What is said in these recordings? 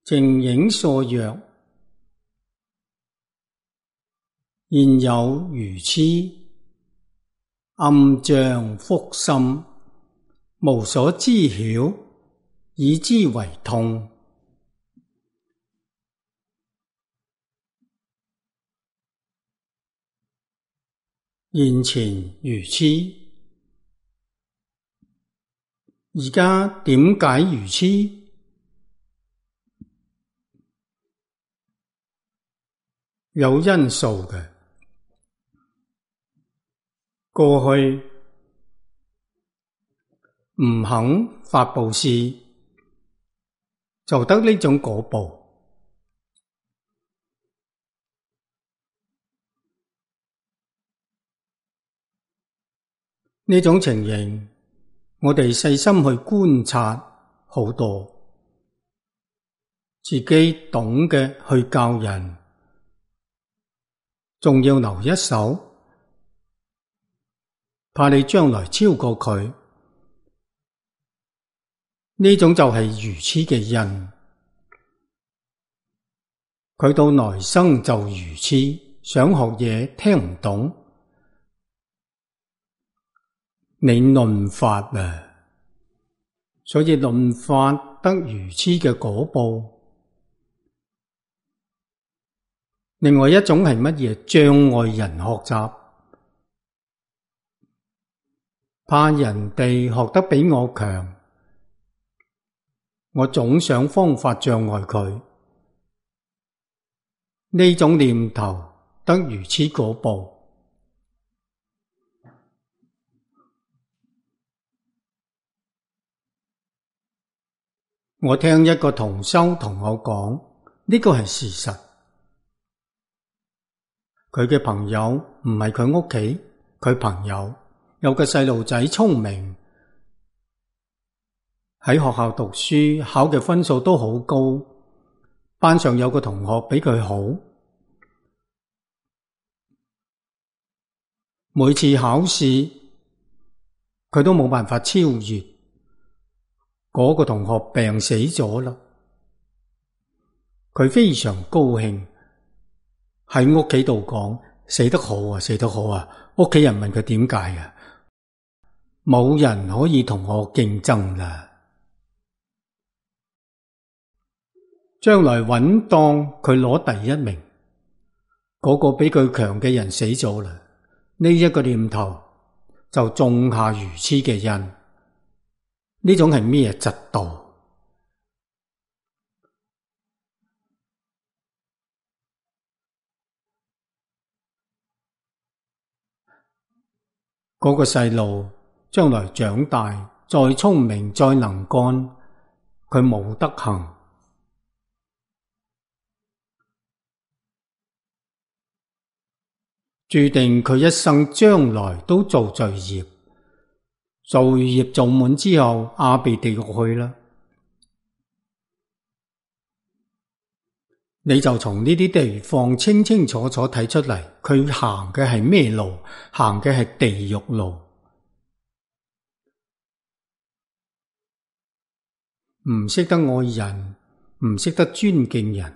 靜影所曰：現有愚癡，暗障覆心，無所知曉，以之為痛。現前愚癡，而家點解愚癡？有因素嘅。過去唔肯發布施，就得呢種果報。呢種情形，我哋細心去觀察好多，自己懂嘅去教人，仲要留一手，怕你將來超過佢。呢種就係愚癡嘅因。佢到來生就愚癡，想學嘢聽唔懂。你論法啊，所以論法得愚癡嘅果報。另外一種係乜嘢？障礙人學習，怕人哋學得比我強，我總想方法障礙佢。呢種念頭得愚癡果報。我聽一個同修同我講，呢個係事實。佢嘅朋友唔係佢屋企，佢朋友有個細路仔聰明，喺學校讀書考嘅分數都好高，班上有個同學比佢好，每次考試佢都冇辦法超越。嗰個同學病死咗啦，佢非常高興，喺屋企度講：死得好啊，死得好啊！屋企人問佢點解啊？冇人可以同我競爭啦。將來穩當佢攞第一名，嗰個比佢強嘅人死咗啦，呢一個念頭就種下愚癡嘅因。呢種係咩嫉妒？嗰個細路將來長大，再聰明再能幹，佢冇德行，注定佢一生將來都做罪業。罪業做滿之後，阿鼻地獄去啦。你就從呢啲地方清清楚楚睇出嚟，佢行嘅係咩路？行嘅係地獄路。唔識得愛人，唔識得尊敬人，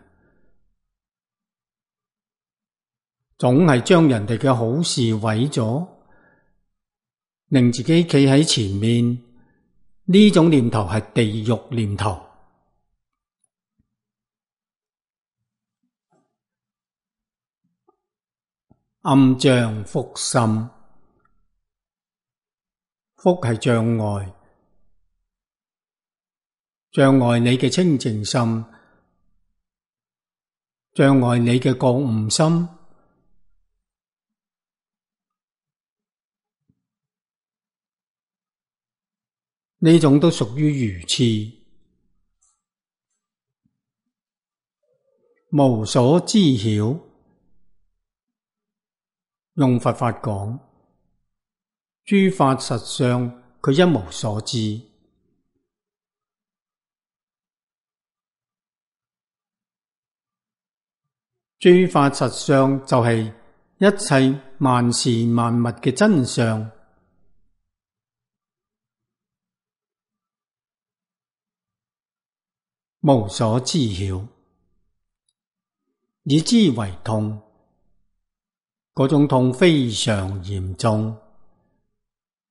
總係將人哋嘅好事毀咗，令自己企喺前面。呢種念頭係地獄念頭。暗障覆心，覆係障礙，障礙你嘅清淨心，障礙你嘅覺悟心。呢種都屬於愚癡，無所知曉。用佛法講，諸法實相，佢一無所知。諸法實相就係一切萬事萬物嘅真相。無所知曉，以之為痛。嗰種痛非常嚴重，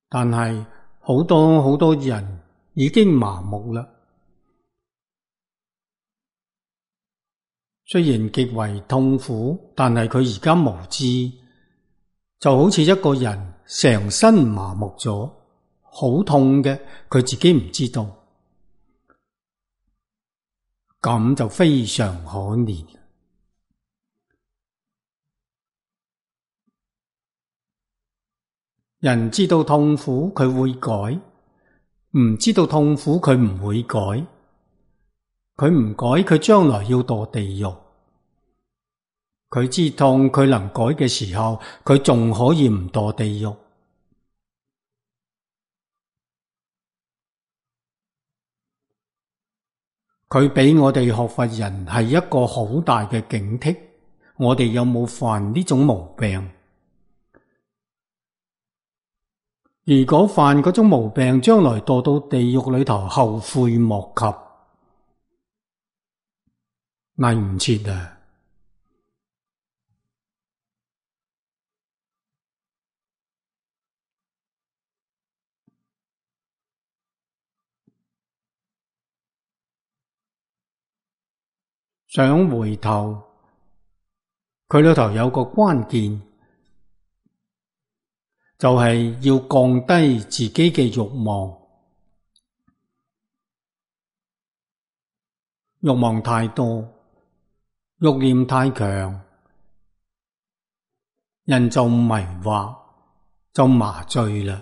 但係好多人已經麻木啦。雖然極為痛苦，但係佢而家無知，就好似一個人成身麻木咗，好痛嘅，佢自己唔知道，咁就非常可憐。人知道痛苦，佢會改；唔知道痛苦，佢唔會改。佢唔改，佢將來要墮地獄。佢知痛，佢能改嘅時候，佢仲可以唔墮地獄。佢俾我哋學佛人係一個好大嘅警惕，我哋有冇犯呢種毛病？如果犯嗰種毛病，將來墮到地獄裏頭，後悔莫及，嚟唔切啊！想回頭，佢裏頭有個關鍵，就係要降低自己嘅慾望。慾望太多，慾念太強，人就迷惑，就麻醉啦，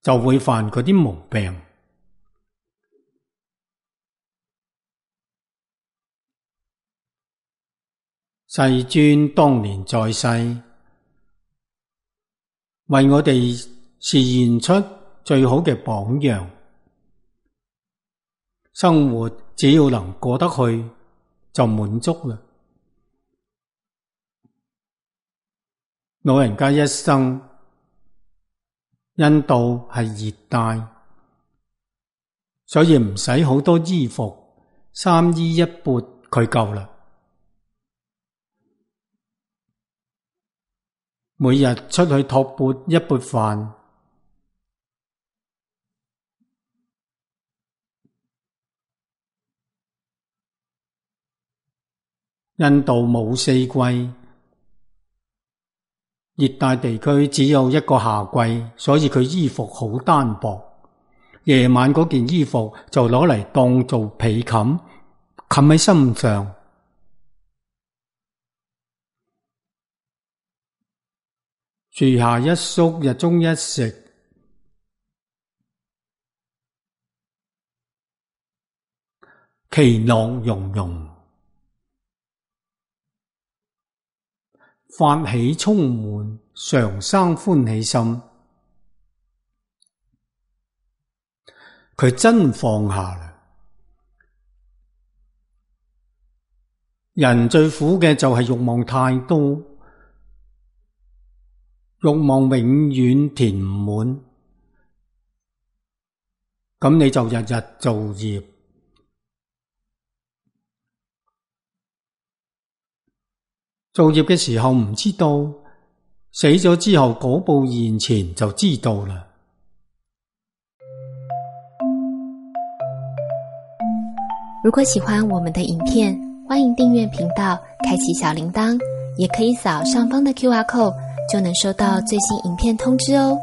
就會犯嗰啲毛病。世尊當年在世，為我哋示現出最好嘅榜樣。生活只要能過得去，就滿足啦。老人家一生，印度係熱帶，所以唔使好多衣服，三衣一缽佢夠啦。每日出去托缽一缽飯，印度冇四季，熱帶地區只有一個夏季，所以佢衣服好單薄。夜晚嗰件衣服就攞嚟當做被冚，冚喺身上。樹下一宿，日中一食，其樂融融，法喜充滿，常生歡喜心。佢真放下啦。人最苦嘅就係慾望太多，慾望永遠填唔滿，咁你就日日造業，造業嘅時候唔知道，死咗之後果報現前就知道啦。如果喜歡我們的影片，歡迎訂閱頻道，開啟小鈴鐺，也可以掃上方的QR code，就能收到最新影片通知哦。